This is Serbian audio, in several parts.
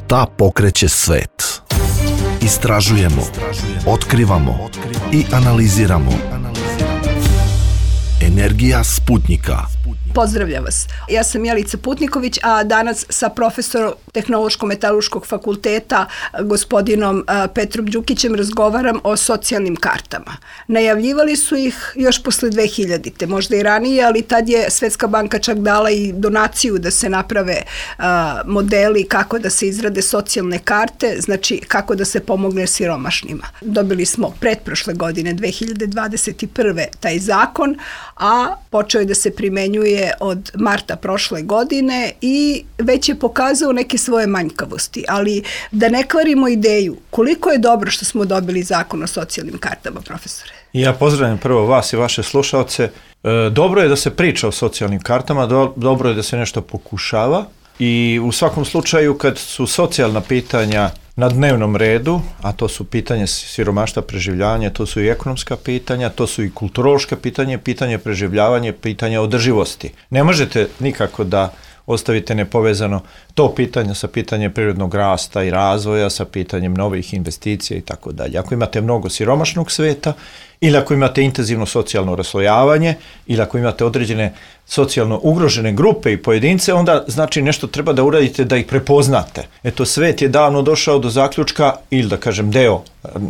Šta pokreće svet? Istražujemo, otkrivamo i analiziramo. Energija Sputnika. Pozdravljam vas. Ja sam Jelica Putniković, a danas sa profesorom Tehnološko-metalurškog fakulteta, gospodinom Petrom Đukićem, razgovaram o socijalnim kartama. Najavljivali su ih još posle 2000-te, možda i ranije, ali tad je Svetska banka čak dala i donaciju da se naprave modeli kako da se izrade socijalne karte, znači kako da se pomogne siromašnima. Dobili smo pretprošle godine, 2021. taj zakon, a počeo je da se primenjuje od marta prošle godine i već je pokazao neke svoje manjkavosti, ali da ne kvarimo ideju, koliko je dobro što smo dobili zakon o socijalnim kartama, profesore? Ja pozdravljam prvo vas i vaše slušalce. Dobro je da se priča o socijalnim kartama, dobro je da se nešto pokušava i u svakom slučaju kad su socijalna pitanja na dnevnom redu, a to su pitanje siromaštva, preživljavanja, to su i ekonomska pitanja, to su i kulturološka pitanja, pitanje preživljavanja, pitanje održivosti. Ne možete nikako da ostavite nepovezano to pitanje sa pitanjem prirodnog rasta i razvoja, sa pitanjem novih investicija i tako dalje. Ako imate mnogo siromašnog sveta, ili ako imate intenzivno socijalno raslojavanje, ili ako imate određene socijalno ugrožene grupe i pojedince, onda znači nešto treba da uradite da ih prepoznate. Eto, svet je davno došao do zaključka, ili da kažem deo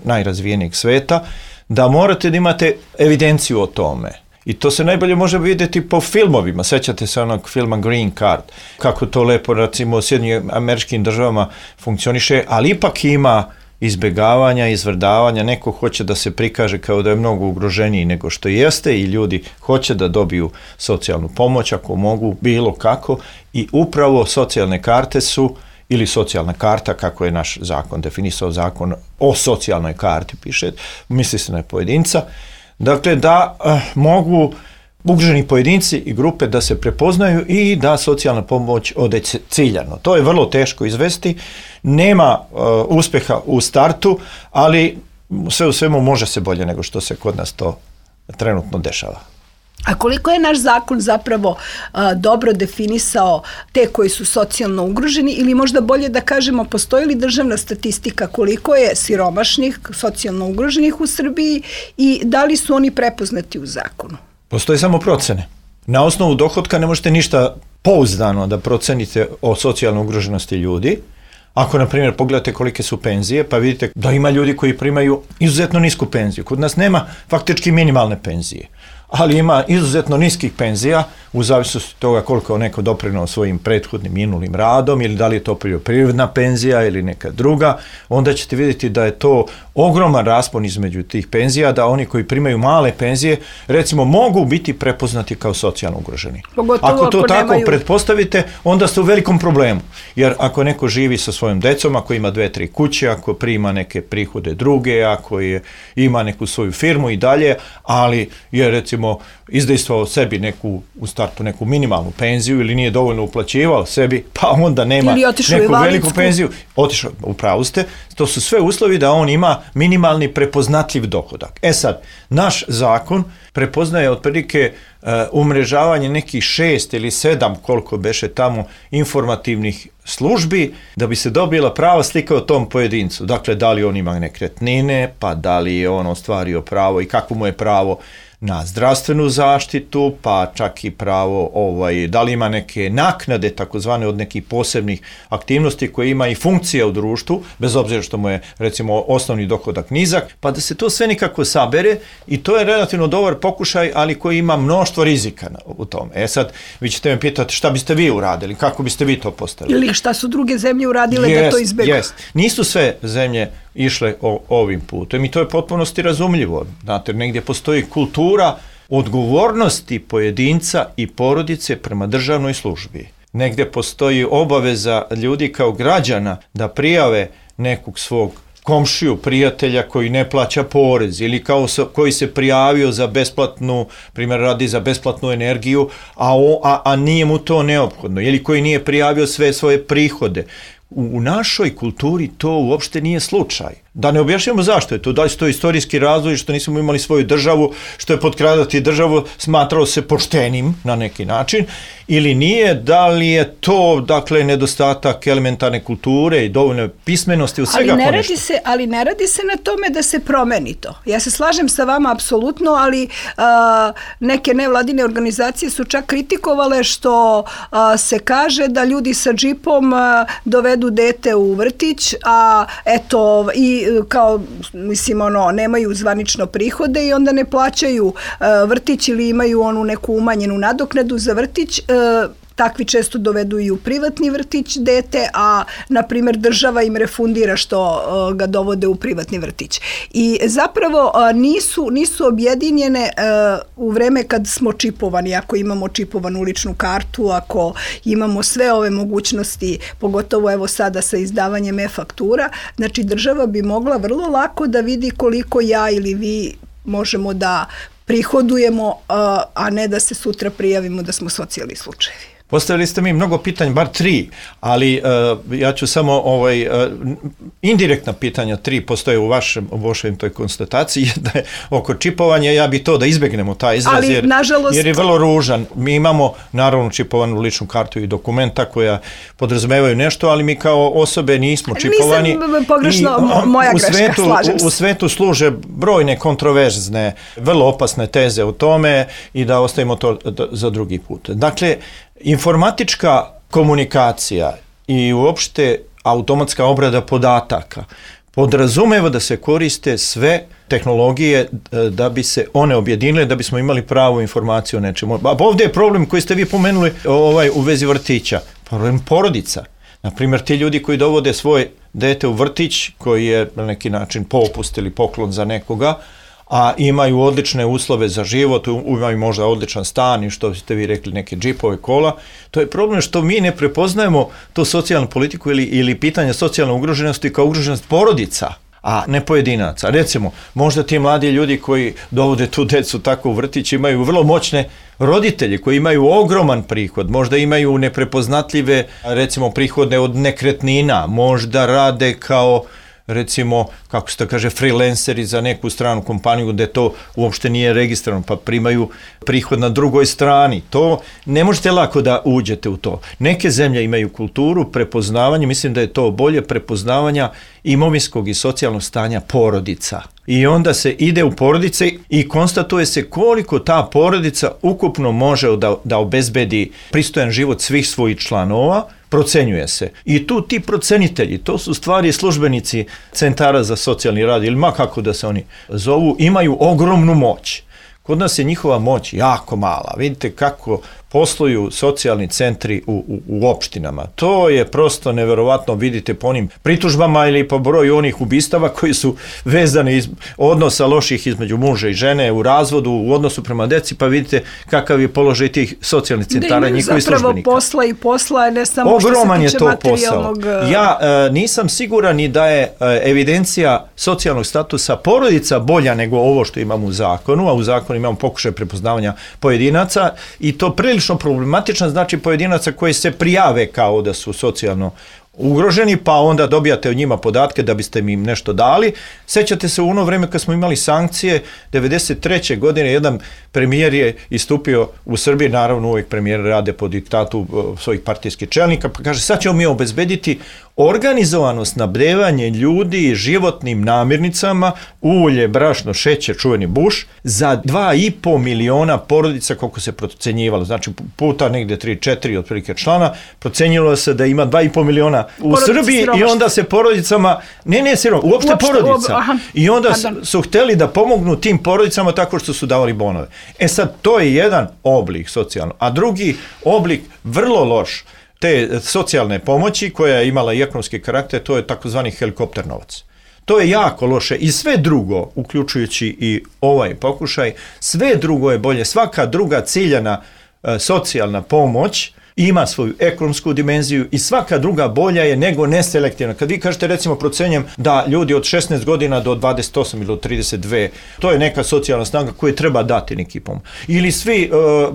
najrazvijenijeg sveta, da morate da imate evidenciju o tome. I to se najbolje može vidjeti po filmovima. Sećate se onog filma Green Card, kako to lepo, recimo, u Sjedinjenim Američkim Državama funkcioniše, ali ipak ima izbjegavanja, izvrdavanja, neko hoće da se prikaže kao da je mnogo ugroženiji nego što jeste i ljudi hoće da dobiju socijalnu pomoć ako mogu, bilo kako, i upravo socijalne karte su, ili socijalna karta, kako je naš zakon definisao, zakon o socijalnoj karti, piše, misli se na pojedinca, dakle da mogu ugroženi pojedinci i grupe da se prepoznaju i da socijalna pomoć ode ciljano. To je vrlo teško izvesti, nema uspjeha u startu, ali sve u svemu može se bolje nego što se kod nas to trenutno dešava. A koliko je naš zakon zapravo dobro definisao te koji su socijalno ugroženi, ili možda bolje da kažemo, postoji li državna statistika koliko je siromašnih, socijalno ugroženih u Srbiji i da li su oni prepoznati u zakonu? Postoje samo procene. Na osnovu dohotka ne možete ništa pouzdano da procenite o socijalnoj ugroženosti ljudi. Ako, na primjer, pogledate kolike su penzije, pa vidite da ima ljudi koji primaju izuzetno nisku penziju. Kod nas nema faktički minimalne penzije, ali ima izuzetno niskih penzija u zavisnosti toga koliko neko doprinao svojim prethodnim minulim radom ili da li je to poljoprivredna penzija ili neka druga, onda ćete vidjeti da je to ogroman raspon između tih penzija, da oni koji primaju male penzije, recimo, mogu biti prepoznati kao socijalno ugroženi. Pogotovo ako to tako nemaju... pretpostavite, onda ste u velikom problemu, jer ako neko živi sa svojom decom, ako ima 2-3 kuće, ako prima neke prihode druge, ako ima neku svoju firmu i dalje, ali je, recimo, izdejstvovao sebi u startu neku minimalnu penziju ili nije dovoljno uplaćivao sebi, pa onda nema neku veliku penziju. Otišao, upravo ste, to su sve uslovi da on ima minimalni prepoznatljiv dohodak. E sad, naš zakon prepoznaje otprilike umrežavanje nekih 6 ili 7, koliko beše tamo, informativnih službi da bi se dobila prava slika o tom pojedincu. Dakle, da li on ima nekretnine, pa da li je on ostvario pravo i kako mu je pravo na zdravstvenu zaštitu, pa čak i pravo, da li ima neke naknade, takozvane, od nekih posebnih aktivnosti koje ima i funkcija u društvu, bez obzira što mu je, recimo, osnovni dohodak nizak, pa da se to sve nikako sabere i to je relativno dobar pokušaj, ali koji ima mnoštvo rizika u tome. E sad, vi ćete me pitati šta biste vi uradili, kako biste vi to postavili? Ili šta su druge zemlje uradile da to izbjegu? Nisu sve zemlje išle ovim putem i to je potpunosti razumljivo. Znate, negdje postoji kultura odgovornosti pojedinca i porodice prema državnoj službi. Negdje postoji obaveza ljudi kao građana da prijave nekog svog komšiju, prijatelja koji ne plaća porez ili koji se prijavio za besplatnu, primjer radi za besplatnu energiju, a nije mu to neophodno, ili koji nije prijavio sve svoje prihode, U našoj kulturi to uopšte nije slučaj. Da ne objašnjamo zašto je to, da li su to istorijski razvoj, što nismo imali svoju državu, što je potkradati državu smatralo se poštenim na neki način, ili nije, da li je to, dakle, nedostatak elementarne kulture i dovoljne pismenosti u svega ponešto. Ali ne radi se na tome da se promeni to. Ja se slažem sa vama apsolutno, ali neke nevladine organizacije su čak kritikovale što se kaže da ljudi sa džipom dovedu dete u vrtić, a eto, i kao, mislim, nemaju zvanično prihode i onda ne plaćaju vrtić ili imaju onu neku umanjenu nadoknadu za vrtić. Takvi često dovedu i u privatni vrtić dete, a na primjer država im refundira što ga dovode u privatni vrtić. I zapravo nisu objedinjene u vreme kad smo čipovani, ako imamo čipovanu ličnu kartu, ako imamo sve ove mogućnosti, pogotovo evo sada sa izdavanjem e-faktura, znači država bi mogla vrlo lako da vidi koliko ja ili vi možemo da prihodujemo, a ne da se sutra prijavimo da smo socijalni slučajevi. Postavili ste mi mnogo pitanja, bar 3, ali ja ću samo indirektna pitanja 3 postoje u vašoj toj konstataciji, da je oko čipovanja, ja bi to da izbegnemo taj izraz, jer je vrlo ružan. Mi imamo naravno čipovanu ličnu kartu i dokumenta koja podrazumevaju nešto, ali mi kao osobe nismo čipovani. Nisam pogrešno, moja greška, slažem se. U svetu služe brojne kontroverzne, vrlo opasne teze o tome i da ostavimo to za drugi put. Dakle, informatička komunikacija i uopšte automatska obrada podataka podrazumeva da se koriste sve tehnologije da bi se one objedinile, da bismo imali pravu informaciju o nečemu. A ovdje je problem koji ste vi pomenuli u vezi vrtića, problem porodica. Naprimjer, ti ljudi koji dovode svoje dete u vrtić, koji je na neki način popust ili poklon za nekoga, a imaju odlične uslove za život, imaju možda odličan stan i što ste vi rekli, neke džipove, kola. To je problem što mi ne prepoznajemo tu socijalnu politiku ili pitanje socijalne ugroženosti kao ugroženost porodica, a ne pojedinaca. Recimo, možda ti mladi ljudi koji dovode tu decu tako u vrtić imaju vrlo moćne roditelji koji imaju ogroman prihod, možda imaju neprepoznatljive, recimo, prihode od nekretnina, možda rade kao, recimo, kako se to kaže, freelanceri za neku stranu kompaniju gde to uopšte nije registrovano, pa primaju prihod na drugoj strani. To ne možete lako da uđete u to. Neke zemlje imaju kulturu prepoznavanja, mislim da je to bolje prepoznavanja imovinskog i socijalnog stanja porodica. I onda se ide u porodice i konstatuje se koliko ta porodica ukupno može da obezbedi pristojan život svih svojih članova, procenjuje se. I tu ti procenitelji, to su stvari službenici centara za socijalni rad, ili ma kako da se oni zovu, imaju ogromnu moć. Kod nas je njihova moć jako mala. Vidite kako posluju socijalni centri u opštinama. To je prosto neverovatno, vidite po onim pritužbama ili po broju onih ubistava koji su vezani iz odnosa loših između muža i žene u razvodu, u odnosu prema deci, pa vidite kakav je položaj tih socijalnih centara i njihovih službenika. Posla i posla, ne samo što se tiče materijalnog. Ja nisam siguran ni da je evidencija socijalnog statusa porodica bolja nego ovo što imamo u zakonu, a u zakonu imamo pokušaj prepoznavanja pojedinaca i to prilično problematičan, znači pojedinaca koji se prijave kao da su socijalno ugroženi, pa onda dobijate od njima podatke da biste im nešto dali. Sećate se u ono vreme kad smo imali sankcije, 1993. godine jedan premijer je istupio u Srbiji, naravno uvijek premijer rade po diktatu svojih partijskih čelnika, pa kaže sad ćemo mi obezbediti organizovano snabdevanje ljudi životnim namirnicama, ulje, brašno, šećer, čuveni Bush, za 2,5 miliona porodica koliko se procenjivalo, znači puta negdje 3-4 otprilike člana, procenjilo se da ima 2,5 miliona u Srbiji i onda se porodicama, uopšte porodica. I onda su hteli da pomognu tim porodicama tako što su davali bonove. E sad, to je jedan oblik socijalno, a drugi oblik vrlo loš te socijalne pomoći koja je imala i ekonomski karakter, to je takozvani helikopter novac. To je jako loše i sve drugo, uključujući i ovaj pokušaj, sve drugo je bolje. Svaka druga ciljana socijalna pomoć ima svoju ekonomsku dimenziju i svaka druga bolja je nego neselektivna. Kad vi kažete, recimo, procenjem da ljudi od 16 godina do 28 ili do 32, to je neka socijalna snaga koju treba dati neki pomoć. Ili svi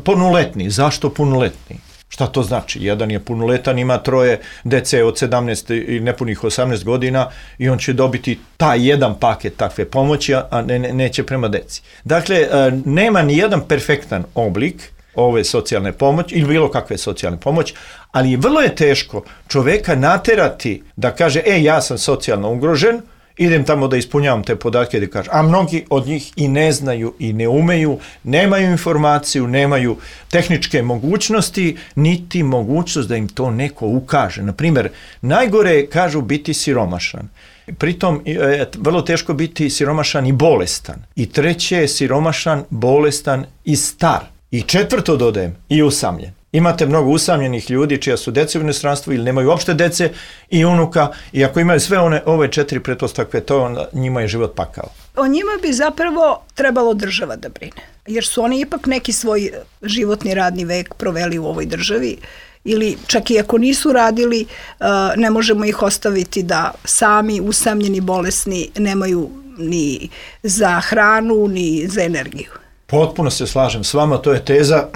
punoletni. Zašto punoletni? Šta to znači? Jedan je punoletan, ima 3 dece od 17 i nepunih 18 godina i on će dobiti taj jedan paket takve pomoći, a neće prema deci. Dakle, nema ni jedan perfektan oblik ove socijalne pomoći ili bilo kakve socijalne pomoći, ali vrlo je teško čoveka naterati da kaže, ja sam socijalno ugrožen, idem tamo da ispunjavam te podatke da kažem, a mnogi od njih i ne znaju i ne umeju, nemaju informaciju, nemaju tehničke mogućnosti, niti mogućnost da im to neko ukaže. Naprimjer, najgore je, kažu, biti siromašan. Pritom je vrlo teško biti siromašan i bolestan. I treće je siromašan, bolestan i star. I četvrto dodajem, i usamljen. Imate mnogo usamljenih ljudi čija su dece u inostranstvu ili nemaju uopšte dece i unuka, i ako imaju sve ove 4 pretpostavke, to onda njima je život pakao. O njima bi zapravo trebalo država da brine, jer su oni ipak neki svoj životni radni vek proveli u ovoj državi, ili čak i ako nisu radili, ne možemo ih ostaviti da sami, usamljeni, bolesni, nemaju ni za hranu, ni za energiju. Potpuno se slažem s vama, to je teza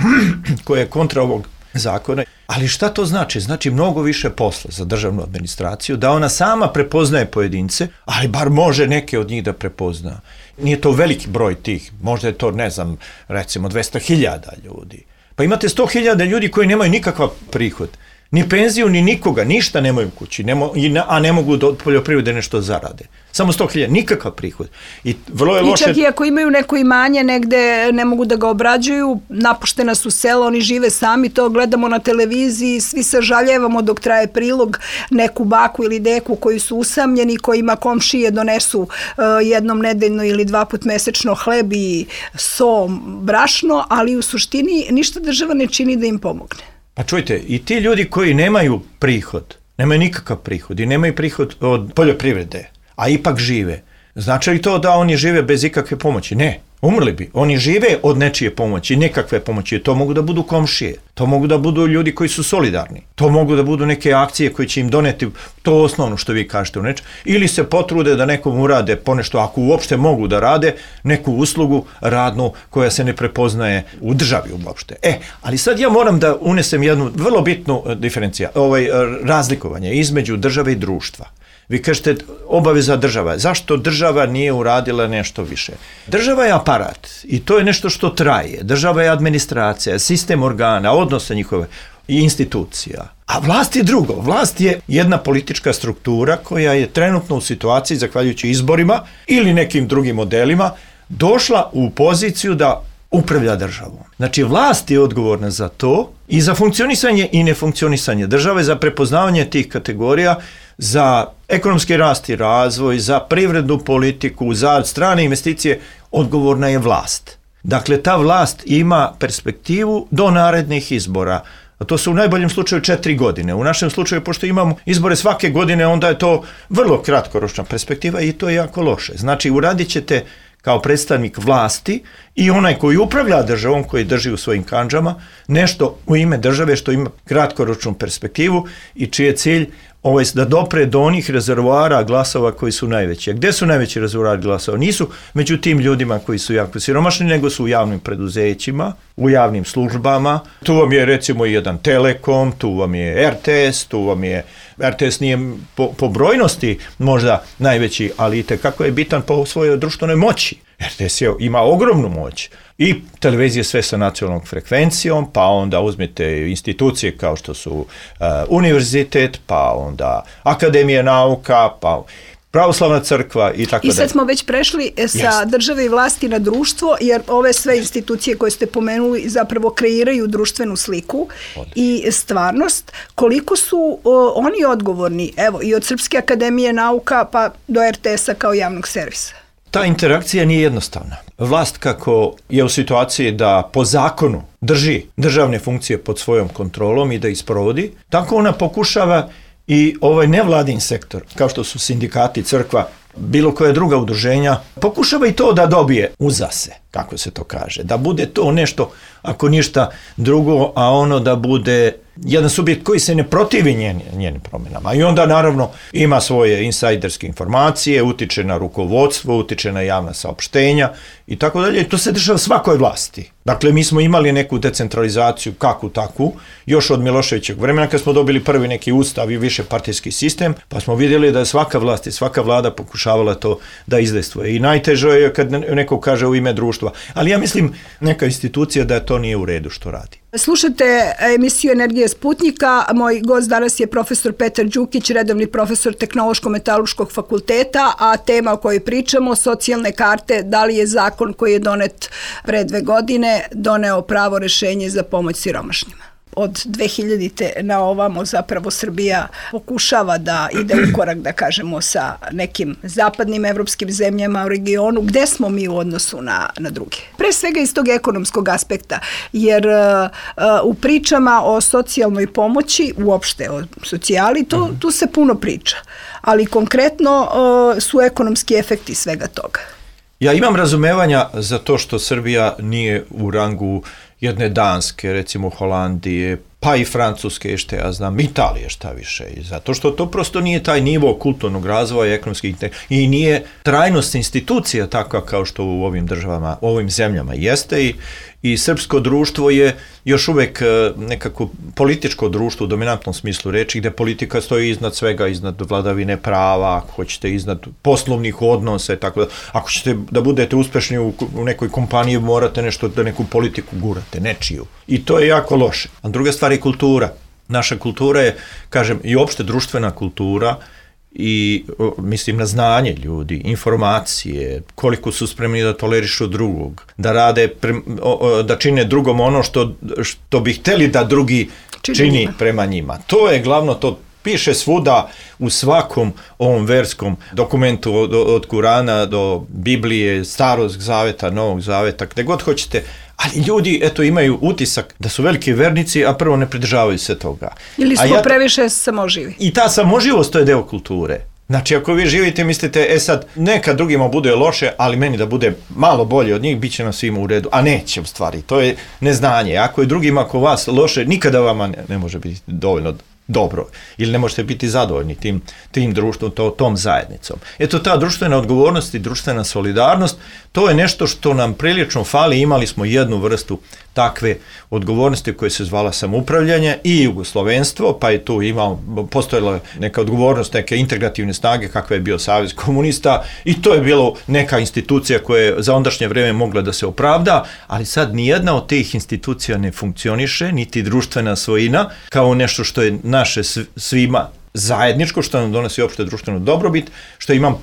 koja je kontra ovog zakona. Ali šta to znači? Znači mnogo više posla za državnu administraciju, da ona sama prepoznaje pojedince, ali bar može neke od njih da prepozna. Nije to veliki broj tih, možda je to, ne znam, recimo 200.000 ljudi. Pa imate 100.000 ljudi koji nemaju nikakav prihod, ni penziju, ni nikoga, ništa nemaju u kući, a ne mogu od poljoprivrede nešto zarade. Samo 100.000, nikakav prihod. I vrlo je loše. I čak i ako imaju neko imanje negde, ne mogu da ga obrađuju, napuštena su sela, oni žive sami, to gledamo na televiziji, svi se žaljevamo dok traje prilog, neku baku ili deku koji su usamljeni, kojima komšije donesu jednom nedeljno ili 2 puta mesečno hleb i so, brašno, ali u suštini ništa država ne čini da im pomogne. Pa čujte, i ti ljudi koji nemaju prihod, nemaju nikakav prihod i nemaju prihod od poljoprivrede, a ipak žive, znači li to da oni žive bez ikakve pomoći? Ne, umrli bi. Oni žive od nečije pomoći, nekakve pomoći. To mogu da budu komšije, to mogu da budu ljudi koji su solidarni, to mogu da budu neke akcije koje će im doneti to osnovno što vi kažete u nečem, ili se potrude da nekom urade ponešto, ako uopšte mogu da rade, neku uslugu radnu koja se ne prepoznaje u državi uopšte. Ali sad ja moram da unesem jednu vrlo bitnu razlikovanje između države i društva. Vi kažete obaveza država. Zašto država nije uradila nešto više? Država je aparat i to je nešto što traje. Država je administracija, sistem organa, odnosa njihove i institucija. A vlast je drugo. Vlast je jedna politička struktura koja je trenutno u situaciji, zahvaljujući izborima ili nekim drugim modelima, došla u poziciju da upravlja državom. Znači, vlast je odgovorna za to i za funkcionisanje i nefunkcionisanje države, za prepoznavanje tih kategorija, za ekonomski rast i razvoj, za privrednu politiku, za strane investicije, odgovorna je vlast. Dakle, ta vlast ima perspektivu do narednih izbora. A to su u najboljem slučaju 4 godine. U našem slučaju, pošto imamo izbore svake godine, onda je to vrlo kratkoročna perspektiva i to je jako loše. Znači, uradit ćete kao predstavnik vlasti i onaj koji upravlja državom, koji drži u svojim kandžama, nešto u ime države što ima kratkoročnu perspektivu i čiji je cilj da dopre do onih rezervoara glasova koji su najveći. A gde su najveći rezervoari glasova? Nisu među tim ljudima koji su jako siromašni, nego su u javnim preduzećima, u javnim službama. Tu vam je recimo jedan Telekom, tu vam je RTS, RTS nije po brojnosti možda najveći, ali itekako je bitan po svojoj društvenoj moći. RTS ima ogromnu moć. I televizije sve sa nacionalnom frekvencijom, pa onda uzmite institucije kao što su univerzitet, pa onda Akademija nauka, pa Pravoslavna crkva i tako dalje. I sad smo već prešli sa države i vlasti na društvo, jer ove sve institucije koje ste pomenuli zapravo kreiraju društvenu sliku i stvarnost. Koliko su oni odgovorni, evo, i od Srpske akademije nauka pa do RTS-a kao javnog servisa? Ta interakcija nije jednostavna. Vlast kako je u situaciji da po zakonu drži državne funkcije pod svojom kontrolom i da ih sprovodi, tako ona pokušava i ovaj nevladin sektor, kao što su sindikati, crkva, bilo koja druga udruženja, pokušava i to da dobije uza se, kako se to kaže, da bude to nešto, ako ništa drugo, a ono da bude jedan subjekt koji se ne protivi njenim promjenama. I onda naravno ima svoje insajderske informacije, utiče na rukovodstvo, utiče na javna saopštenja i tako dalje. I to se dešava svakoj vlasti. Dakle, mi smo imali neku decentralizaciju, kakvu takvu, još od Miloševićeg vremena kad smo dobili prvi neki ustav i više partijski sistem, pa smo vidjeli da je svaka vlast i svaka vlada pokušavala to da izdejstvuje. I najteže je kad neko kaže u ime društva. Ali ja mislim neka institucija da to nije u redu što radi. Slušate emisiju Energije Sputnika. Moj gost danas je profesor Petar Đukić, redovni profesor Tehnološko-metalurškog fakulteta, a tema o kojoj pričamo, socijalne karte, da li je zakon koji je donet pre 2 godine doneo pravo rešenje za pomoć siromašnjima. Od 2000. na ovamo zapravo Srbija pokušava da ide u korak, da kažemo, sa nekim zapadnim evropskim zemljama u regionu. Gde smo mi u odnosu na druge? Pre svega iz tog ekonomskog aspekta, jer u pričama o socijalnoj pomoći, uopšte o socijali, tu se puno priča. Ali konkretno su ekonomski efekti svega toga. Ja imam razumevanja za to što Srbija nije u rangu jedne Danske, recimo Holandije, pa i Francuske, što ja znam, Italije šta više. I zato što to prosto nije taj nivo kulturnog razvoja, ekonomskih i nije trajnost institucija takva kao što u ovim državama, u ovim zemljama jeste i srpsko društvo je još uvek nekako političko društvo u dominantnom smislu reči, gde politika stoji iznad svega, iznad vladavine prava, ako hoćete iznad poslovnih odnosa i tako da. Ako ćete da budete uspešni u nekoj kompaniji, morate nešto da neku politiku gurate, nečiju. I to je jako loše. A druga stvar je kultura. Naša kultura je, kažem, i opšte društvena kultura i mislim na znanje ljudi, informacije, koliko su spremni da tolerišu drugog, da rade, da čine drugom ono što bi hteli da drugi čini prema njima. To je glavno, to piše svuda u svakom ovom verskom dokumentu od Kurana do Biblije, Starog zaveta, Novog zaveta, gde god hoćete. Ali ljudi, eto, imaju utisak da su veliki vernici, a prvo ne pridržavaju se toga. Ili smo previše samoživi. I ta samoživost, to je deo kulture. Znači, ako vi živite, mislite, sad, neka drugima bude loše, ali meni da bude malo bolje od njih, bit će nam svima u redu. A neće, u stvari. To je neznanje. Ako je drugima oko vas loše, nikada vama ne može biti dovoljno dobro. Ili ne možete biti zadovoljni tim društvom, tom zajednicom. Eto, ta društvena odgovornost i društvena solidarnost, to je nešto što nam prilično fali. Imali smo jednu vrstu takve odgovornosti koja se zvala samoupravljanje i jugoslovenstvo, pa je tu postojala neka odgovornost, neke integrativne snage kakva je bio Savez komunista i to je bilo neka institucija koja je za ondašnje vreme mogla da se opravda, ali sad nijedna od tih institucija ne funkcioniše, niti društvena svojina, kao nešto što je naše svima zajedničko, što nam donosi opšte društvenu dobrobit, što imam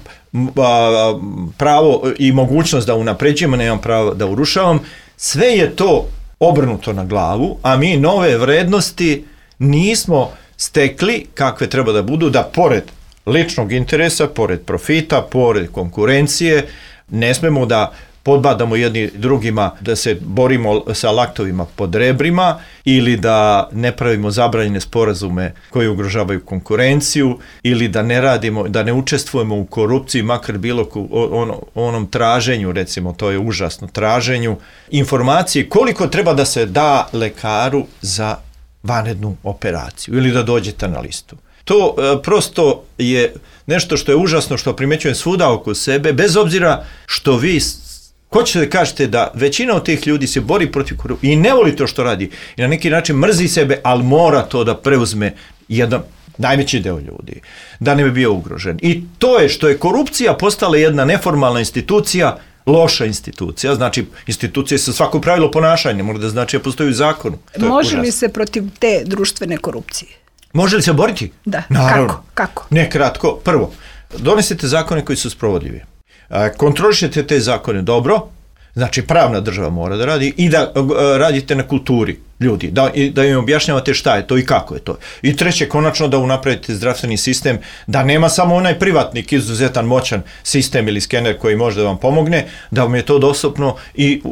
pravo i mogućnost da unapređujem, nemam pravo da urušavam. Sve je to obrnuto na glavu, a mi nove vrednosti nismo stekli kakve treba da budu, da pored ličnog interesa, pored profita, pored konkurencije, ne smemo da podbadamo jedni drugima, da se borimo sa laktovima pod rebrima ili da ne pravimo zabranjene sporazume koji ugrožavaju konkurenciju ili da ne radimo, da ne učestvujemo u korupciji, makar bilo onom traženju, recimo, to je užasno, traženju informacije koliko treba da se da lekaru za vanrednu operaciju ili da dođete na listu. To prosto je nešto što je užasno, što primećujem svuda oko sebe, bez obzira što vi hoćete da kažete da većina od tih ljudi se bori protiv korupcije i ne voli to što radi i na neki način mrzi sebe, ali mora to da preuzme jedan najveći deo ljudi, da ne bi bio ugrožen. I to je što je korupcija postala jedna neformalna institucija, loša institucija, znači institucija sa svako pravilo ponašanja, mora da znači da postoji u zakonu. Može li se protiv te društvene korupcije? Može li se boriti? Da, naravno. Kako? Ne, kratko. Prvo, donesete zakone koji su sprovodljivi. Kontrolišete te zakone dobro, znači pravna država mora da radi i da radite na kulturi ljudi, da im objašnjavate šta je to i kako je to. I treće, konačno da unapravite zdravstveni sistem, da nema samo onaj privatnik, izuzetan moćan sistem ili skener koji može da vam pomogne, da vam je to dostupno i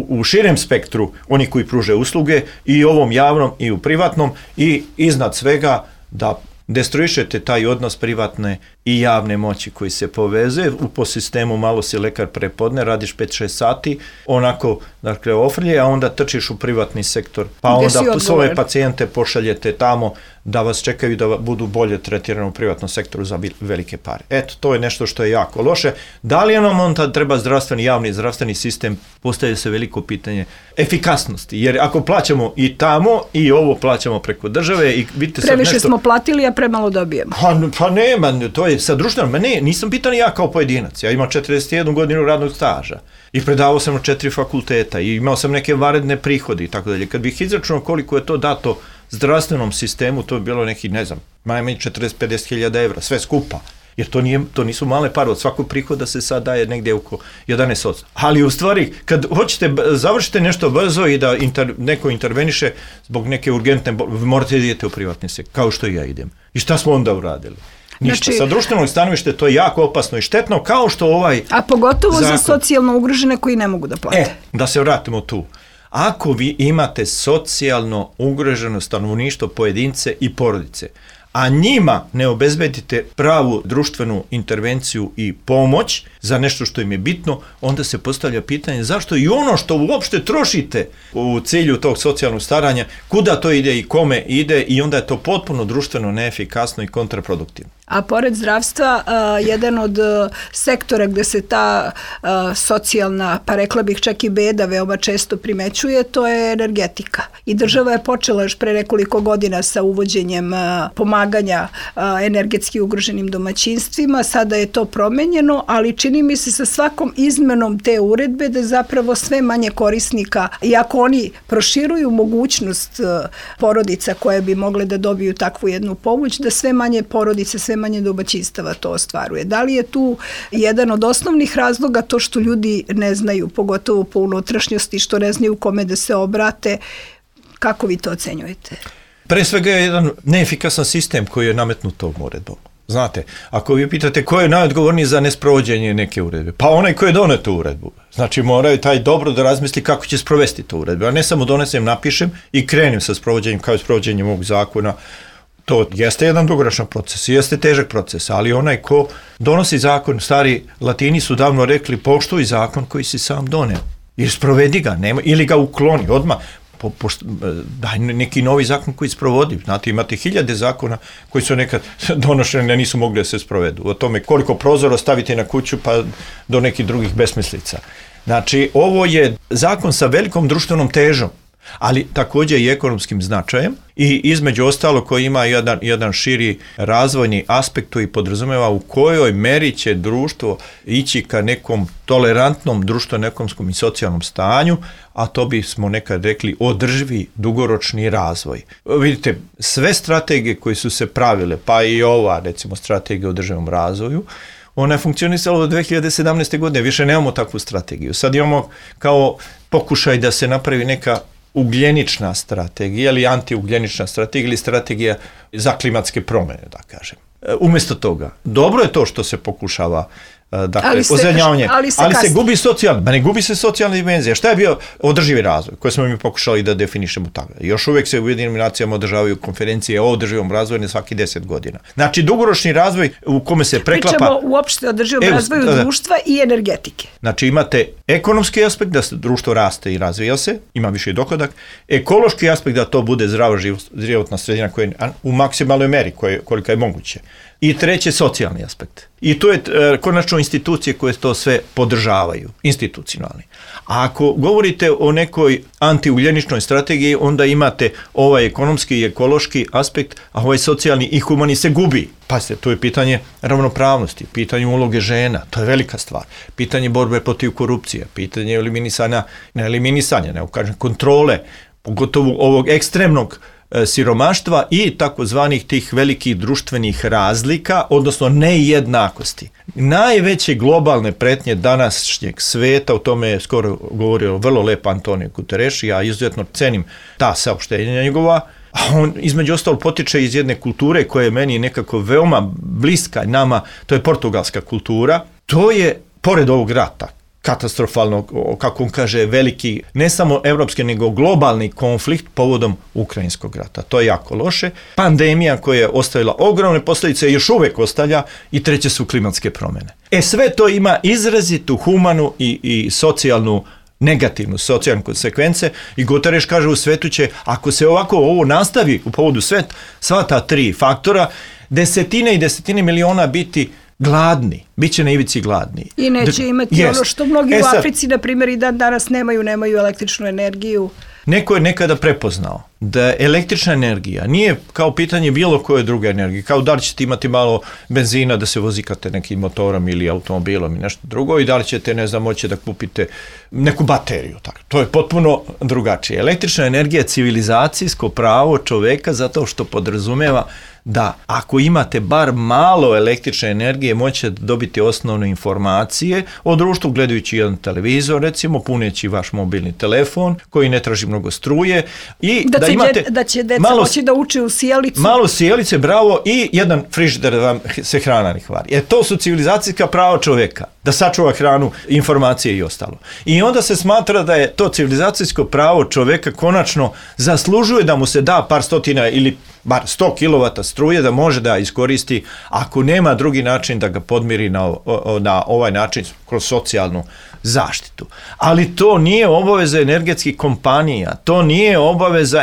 u širem spektru oni koji pruže usluge i ovom javnom i u privatnom i iznad svega da destruišete taj odnos privatne i javne moći koji se povezuje. Po sistemu malo si lekar prepodne, radiš 5-6 sati, onako, dakle, ofrlje, a onda trčiš u privatni sektor. Pa onda svoje pacijente pošaljete tamo da vas čekaju da budu bolje tretirani u privatnom sektoru za velike pare. Eto, to je nešto što je jako loše. Da li nam onda treba javni zdravstveni sistem, postavlja se veliko pitanje efikasnosti, jer ako plaćamo i tamo i ovo plaćamo preko države i vidite sad previše smo platili, a premalo dobijemo. Pa nema, to je sa društvenom, nisam pitan ja kao pojedinac, ja imam 41 godinu radnog staža i predavao sam na 4 fakulteta i imao sam neke vanredne prihode i tako dalje. Kad bih izračunao koliko je to dato zdravstvenom sistemu, to je bilo neki, ne znam, najmanje 40-50 hiljada evra, sve skupa. Jer to nisu male pare, od svakog prihoda se sad daje negdje oko 11%. Ali u stvari, kad hoćete, završite nešto brzo i da neko interveniše zbog neke urgentne, morate idete u privatni sektor, kao što i ja idem. I šta smo onda uradili? Ništa. Znači, sa društvenog stanovišta to je jako opasno i štetno, kao što ovaj a pogotovo zakon, za socijalno ugrožene koji ne mogu da plate. Da se vratimo tu. Ako vi imate socijalno ugroženo stanovništvo, pojedince i porodice, a njima ne obezbedite pravu društvenu intervenciju i pomoć za nešto što im je bitno, onda se postavlja pitanje zašto i ono što uopšte trošite u cilju tog socijalnog staranja, kuda to ide i kome ide, i onda je to potpuno društveno neefikasno i kontraproduktivno. A pored zdravstva, jedan od sektora gde se ta socijalna, pa rekla bih čak i beda, veoma često primećuje, to je energetika. I država je počela još pre nekoliko godina sa uvođenjem pomaganja energetski ugroženim domaćinstvima. Sada je to promenjeno, ali čini mi se sa svakom izmenom te uredbe da zapravo sve manje korisnika, iako oni proširuju mogućnost porodica koje bi mogle da dobiju takvu jednu pomoć, da sve manje porodice, sve manje domaćinstava to ostvaruje. Da li je tu jedan od osnovnih razloga to što ljudi ne znaju, pogotovo po unutrašnjosti, što ne znaju kome da se obrate? Kako vi to ocenjujete? Pre svega je jedan neefikasan sistem koji je nametnut tom uredbom. Znate, ako vi pitate ko je najodgovorniji za nesprovođenje neke uredbe, pa onaj ko je donio tu uredbu. Znači moraju taj dobro da razmisli kako će sprovesti tu uredbu, a ne samo donesem, napišem i krenem sa sprovođenjem kao i sprovođenjem ovog zakona. To jeste jedan dugoročan proces, jeste težak proces, ali onaj ko donosi zakon, stari Latini su davno rekli, poštuj zakon koji si sam doneo, jer sprovedi ga, ili ga ukloni odmah. Daj neki novi zakon koji sprovodi. Znate, imate hiljade zakona koji su nekad donošeni, a nisu mogli da se sprovedu. O tome koliko prozora stavite na kuću pa do nekih drugih besmislica. Znači, ovo je zakon sa velikom društvenom težom, ali također i ekonomskim značajem i između ostalo koji ima jedan širi razvojni aspekt koji podrazumeva u kojoj meri će društvo ići ka nekom tolerantnom društveno-ekonomskom i socijalnom stanju, a to bismo nekad rekli održivi dugoročni razvoj. Vidite, sve strategije koje su se pravile, pa i ova recimo strategija o održivom razvoju, ona je funkcionisala do 2017. godine, više nemamo takvu strategiju. Sad imamo kao pokušaj da se napravi neka ugljenična strategija ili antiugljenična strategija ili strategija za klimatske promjene, da kažem. Umjesto toga, dobro je to što se pokušava ozelenjavanje, ali se gubi socijalna, ne gubi se socijalna dimenzija. Šta je bio održivi razvoj koji smo mi pokušali da definišemo tako? Još uvijek se u Ujedinjenim nacijama održavaju konferencije o održivom razvoju na svaki 10 godina. Znači, dugoročni razvoj u kome se preklapa... Pričamo uopšte o održivom razvoju društva i energetike. Znači, imate ekonomski aspekt da društvo raste i razvija se, ima više dohodak, ekološki aspekt da to bude zdrava životna sredina koja je u maksimalnoj meri koliko je moguće. I treće, socijalni aspekt. I to je konačno institucije koje to sve podržavaju, institucionalni. A ako govorite o nekoj antiugljeničnoj strategiji, onda imate ovaj ekonomski i ekološki aspekt, a ovaj socijalni i humani se gubi. Pazite, to je pitanje ravnopravnosti, pitanje uloge žena, to je velika stvar. Pitanje borbe protiv korupcije, pitanje eliminisanja, nego kažem kontrole, pogotovo ovog ekstremnog siromaštva i takozvanih tih velikih društvenih razlika, odnosno nejednakosti. Najveće globalne pretnje današnjeg sveta, o tome je skoro govorio vrlo lepo Antonio Guterres, ja izuzetno cenim ta saopštenja njegova, a on između ostalo potiče iz jedne kulture koja je meni nekako veoma bliska nama, to je portugalska kultura. To je, pored ovog rata, katastrofalno, kako on kaže, veliki, ne samo evropski, nego globalni konflikt povodom Ukrajinskog rata. To je jako loše. Pandemija koja je ostavila ogromne posljedice, još uvek ostavlja, i treće su klimatske promjene. Sve to ima izrazitu humanu i socijalnu, negativnu socijalnu konsekvence, i Guterres kaže u svetu će, ako se ovako ovo nastavi u povodu sveta, sva ta 3 faktora, desetine i desetine miliona biti gladni, bit će na ivici gladni. I neće imati ono što mnogi u Africi, na primjer, i danas nemaju električnu energiju. Neko je nekada prepoznao da električna energija nije kao pitanje bilo koje druge energije, kao da li ćete imati malo benzina da se vozikate nekim motorom ili automobilom i nešto drugo, i da li ćete, ne znam, moći da kupite neku bateriju. Tako. To je potpuno drugačije. Električna energija je civilizacijsko pravo čoveka zato što podrazumeva da ako imate bar malo električne energije, moćete dobiti osnovne informacije o društvu gledajući jedan televizor, recimo, puneći vaš mobilni telefon koji ne traži mnogo struje, i da će deca moći da uče u sjelicu. Malo sjelice, bravo, i jedan frižider da vam se hrana ne kvari. To su civilizacijska prava čoveka, da sačuva hranu, informacije i ostalo. I onda se smatra da je to civilizacijsko pravo čoveka konačno zaslužuje da mu se da par stotina ili bar 100 kW struje da može da iskoristi, ako nema drugi način da ga podmiri na ovaj način kroz socijalnu zaštitu. Ali to nije obaveza energetskih kompanija, to nije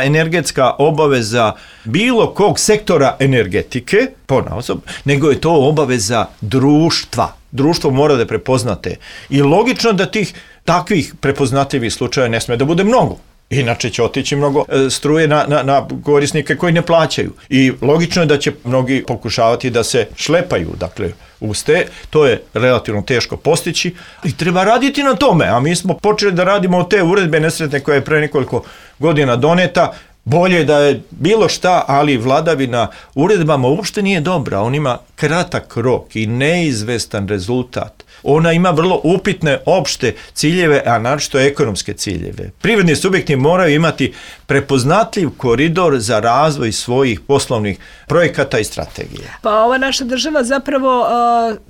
energetska obaveza bilo kog sektora energetike, ponaosob, nego je to obaveza društva. Društvo mora da prepoznate. I logično da tih takvih prepoznatljivih slučaja ne sme da bude mnogo. Inače će otići mnogo struje na korisnike koji ne plaćaju. I logično je da će mnogi pokušavati da se šlepaju, dakle, uste. To je relativno teško postići i treba raditi na tome. A mi smo počeli da radimo od te uredbe nesretne koja je pre nekoliko godina doneta. Bolje da je bilo šta, ali vladavina uredbama uopšte nije dobra. On ima kratak rok i neizvestan rezultat. Ona ima vrlo upitne opšte ciljeve, a naročito ekonomske ciljeve. Privredni subjekti moraju imati prepoznatljiv koridor za razvoj svojih poslovnih projekata i strategije. Pa ova naša država zapravo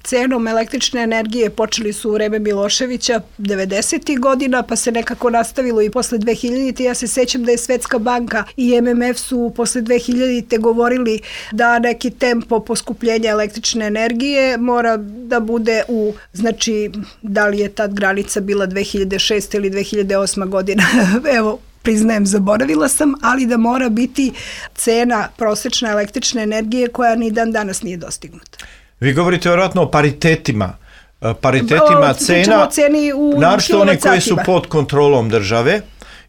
cenom električne energije počeli su u vreme Miloševića 90. godina, pa se nekako nastavilo i posle 2000. Ja se sećam da je Svetska banka i MMF su posle 2000. govorili da neki tempo poskupljenja električne energije mora da bude znači, da li je tad granica bila 2006. ili 2008. godina, evo, priznajem, zaboravila sam, ali da mora biti cena prosječne električne energije koja ni dan danas nije dostignuta. Vi govorite vjerojatno o paritetima cena, naročito one koje su pod kontrolom države,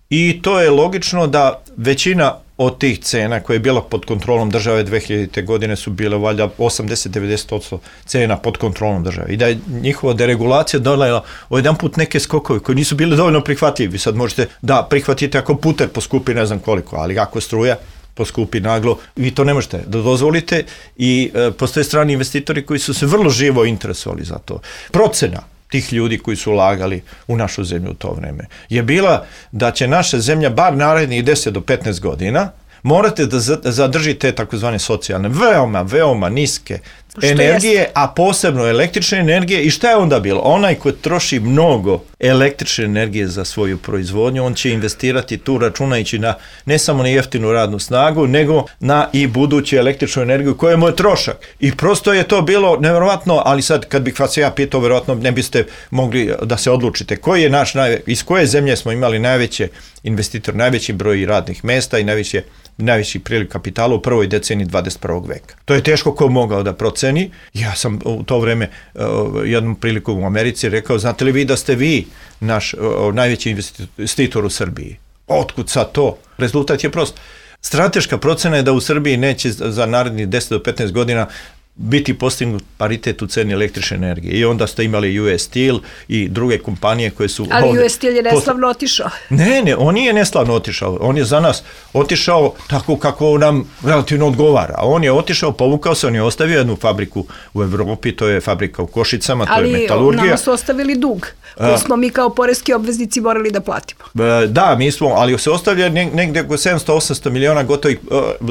i to je logično da većina od tih cena koje je bila pod kontrolom države 2000. godine su bile valjda 80-90% cena pod kontrolom države, i da je njihova deregulacija donela odjedanput neke skokove koji nisu bili dovoljno prihvatljivi. Sad možete da prihvatite ako puter poskupi ne znam koliko, ali ako struja poskupi naglo, vi to ne možete da dozvolite, i postoje strani investitori koji su se vrlo živo interesovali za to. Procena tih ljudi koji su ulagali u našu zemlju u to vreme je bila da će naša zemlja bar narednih 10 do 15 godina morate da zadržite takozvane socijalne, veoma niske energije, a posebno električne energije. I šta je onda bilo? Onaj ko troši mnogo električne energije za svoju proizvodnju, on će investirati tu računajući na ne samo na jeftinu radnu snagu, nego na i buduću električnu energiju koja mu je trošak. I prosto je to bilo nevjerovatno, ali sad kad bih vas ja pitao, vjerojatno ne biste mogli da se odlučite koji je iz koje zemlje smo imali najveće investitor, najveći broj radnih mesta i najveći priliv kapitala u prvoj deceniji 21. veka. To je teško ko mogao da proceni. Ja sam u to vreme jednom prilikom u Americi rekao, znate li vi da ste vi naš najveći investitor u Srbiji? Otkud sad to? Rezultat je prost. Strateška procena je da u Srbiji neće za narednih 10 do 15 godina biti postignut paritet u ceni električne energije. I onda ste imali US Steel i druge kompanije koje su... Ali US Steel je neslavno otišao. Ne, on nije neslavno otišao. On je za nas otišao tako kako nam relativno odgovara. On je otišao, povukao se, on je ostavio jednu fabriku u Evropi, to je fabrika u Košicama, to je metalurgija. Ali nama su ostavili dug, koji smo mi kao poreski obveznici morali da platimo. Da, mi smo, ali se ostavlja negdje oko 700-800 miliona gotovih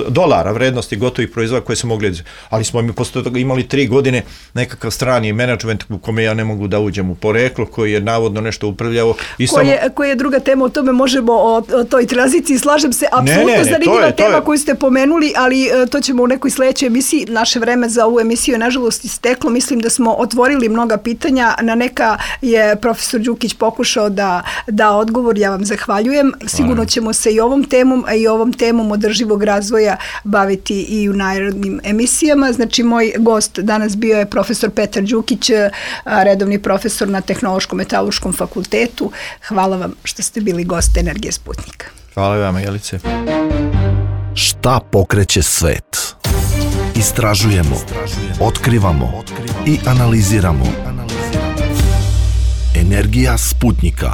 dolara vrednosti gotovih proizvoda koje su mogli... Ali smo mi isto tako imali 3 godine nekakav strani menadžment u kome ja ne mogu da uđem u poreklo, koji je navodno nešto upravljao. Koji je druga tema, o tome možemo o toj tranziciji, slažem se, apsolutno zanimljiva tema koju ste pomenuli, ali to ćemo u nekoj sledećoj emisiji. Naše vreme za ovu emisiju je nažalost isteklo. Mislim da smo otvorili mnoga pitanja, na neka je profesor Đukić pokušao da odgovor, ja vam zahvaljujem. Sigurno ćemo se i ovom temom, a i ovom temom održivog razvoja baviti i u narednim emisijama. Znači, moj gost danas bio je profesor Petar Đukić, redovni profesor na Tehnološko-metalurškom fakultetu. Hvala vam što ste bili gost Energije Sputnika. Hvala vam, Jelice. Šta pokreće svet? Istražujemo, otkrivamo i analiziramo. Energija Sputnika.